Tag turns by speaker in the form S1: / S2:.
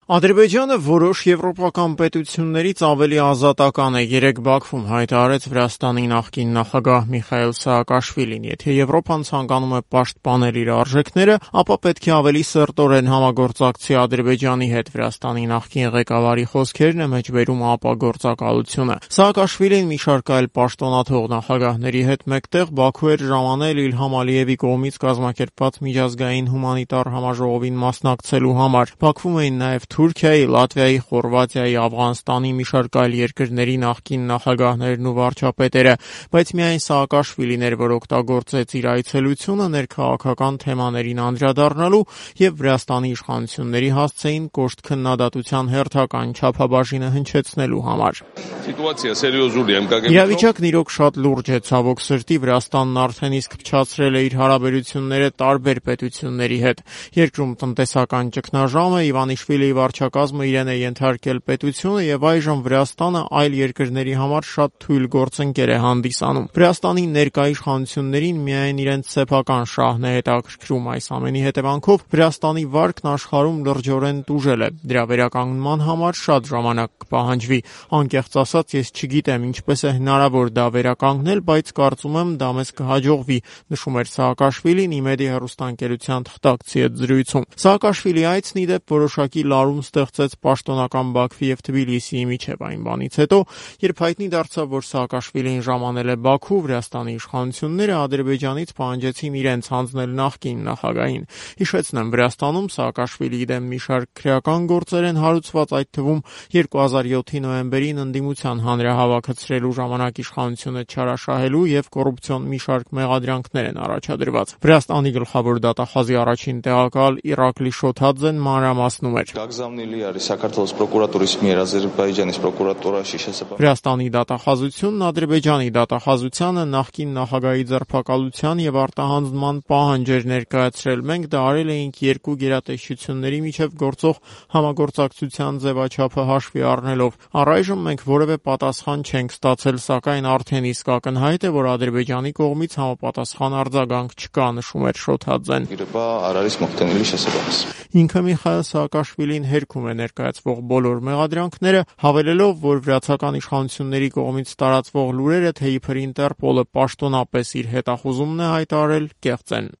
S1: Ադրբեջանը որոշ եվրոպական պետություններից ավելի ազատական է, երեկ Բաքվում հայտարարեց Վրաստանի նախկին նախագահ Միխայիլ Սաակաշվիլին։ Եթե Եվրոպան ցանկանում է պաշտպանել իր արժեքները, ապա պետք է ավելի սերտորեն համագործակցի Ադրբեջանի հետ։ Վրաստանի նախկին ղեկավարի խոսքերն է մեջբերում ԱՊԱ գործակալությունը։ Սաակաշվիլին մի շարք այլ պաշտոնաթող նախագահների հետ մեկտեղ Բաքու էր ժամանել Իլհամ Ալիևի կողմից կազմակերպված միջազգային հումանիտար համաժողովին մասնակցելու համար։ Բաքվում էին նաև Թուրքիայի, Լատվիայի, Խորվաթիայի, Աֆղանստանի մի շարք այլ երկրների նախկին նախագահներն ու վարչապետերը, բայց միայն Սաակաշվիլին էր, որ օգտագործեց իր այցելությունը ներքաղաքական թեմաներին անդրադառնալու եւ Վրաստանի իշխանությունների հասցեին կոշտ քննադատության հերթական չափաբաժինը հնչեցնելու համար։ Իրավիճակն իրոք շատ լուրջ է, ցավոք սրտի Վրաստանն արդեն իսկ փչացրել է իր հարաբերությունները տարբեր պետությունների հետ։ Երկրում տնտեսական ճգնաժամ է, Իվանիշվիլիի վարչակազմը իրեն է ենթարկել պետությունը եւ այժմ Վրաստանը այլ երկրների համար շատ թույլ գործընկեր է հանդիսանում։ Վրաստանի ներկա իշխանություններին միայն իրենց սեփական շահն է հետաքրքրում։ Այս ամենի հետևանքով Վրաստանի վարկն աշխարհում լրջորեն տուժել է։ Դրա վերականգնման համար շատ ժամանակ կպահանջվի։ Անկեղծ ասած, ես չգիտեմ ինչպես է հնարավոր դա վերականգնել, բայց կարծում եմ դա մեզ կհաջողվի, նշում էր Սաակաշվիլին ԻՄԵԴ-ի հեռուստաընկերության թղթակցի հետ զրույցում։ Սաակաշվիլի այցն ի դեպ որոշակի լարում ստեղծեց պաշտոնական Բաքվի եւ Թբիլիսիի միջև այն բանից հետո, երբ հայտնի դարձավ, որ Սաակաշվիլին ժամանել է Բաքու, Վրաստանի իշխանությունները Ադրբեջանից պահանջեցին իրենց հանձնել նախկին նախագահին։ Հիշեցնեմ, Վրաստանում Սաակաշվիլիի դեմ մի շարք քրեական գործեր են հարուցված, այդ թվում 2007-ի նոյեմբերին ընդդիմության հանրահավաքացրելու ժամանակ իշխանությունը չարաշահելու եւ կոռուպցիոն մի շարք մեղադրանքներ են առաջադրված։ Վրաստանի գլխավոր դատախազի առաջին տեղակալ Իրակլի Շոթաձեն մանրամասնում էր. Վրաստանի դատախազությունն Ադրբեջանի դատախազությանը նախկին նախագահի ձերբակալության եւ արտահանձնման պահանջ էր ներկայացրել։ Մենք դա արել էինք երկու գերատեսչությունների միջև գործող համագործակցության ձևաչափը հաշվի առնելով։ Առայժմ մենք որևէ պատասխան չենք ստացել, սակայն արդեն իսկ ակնհայտ է, որ Ադրբեջանի կողմից համապատասխան արձագանք չկա, նշում էր Շոթաձեն։ Ինքը Միխայիլ Սաակաշվիլին հերքում է ներկայացվող բոլոր մեղադրանքները, հավելելով, որ վրացական իշխանությունների կողմից տարածվող լուրերը, թե իբր Ինտերպոլը պաշտոնապես իր հետախուզումն է հայտարարել, կեղծ են։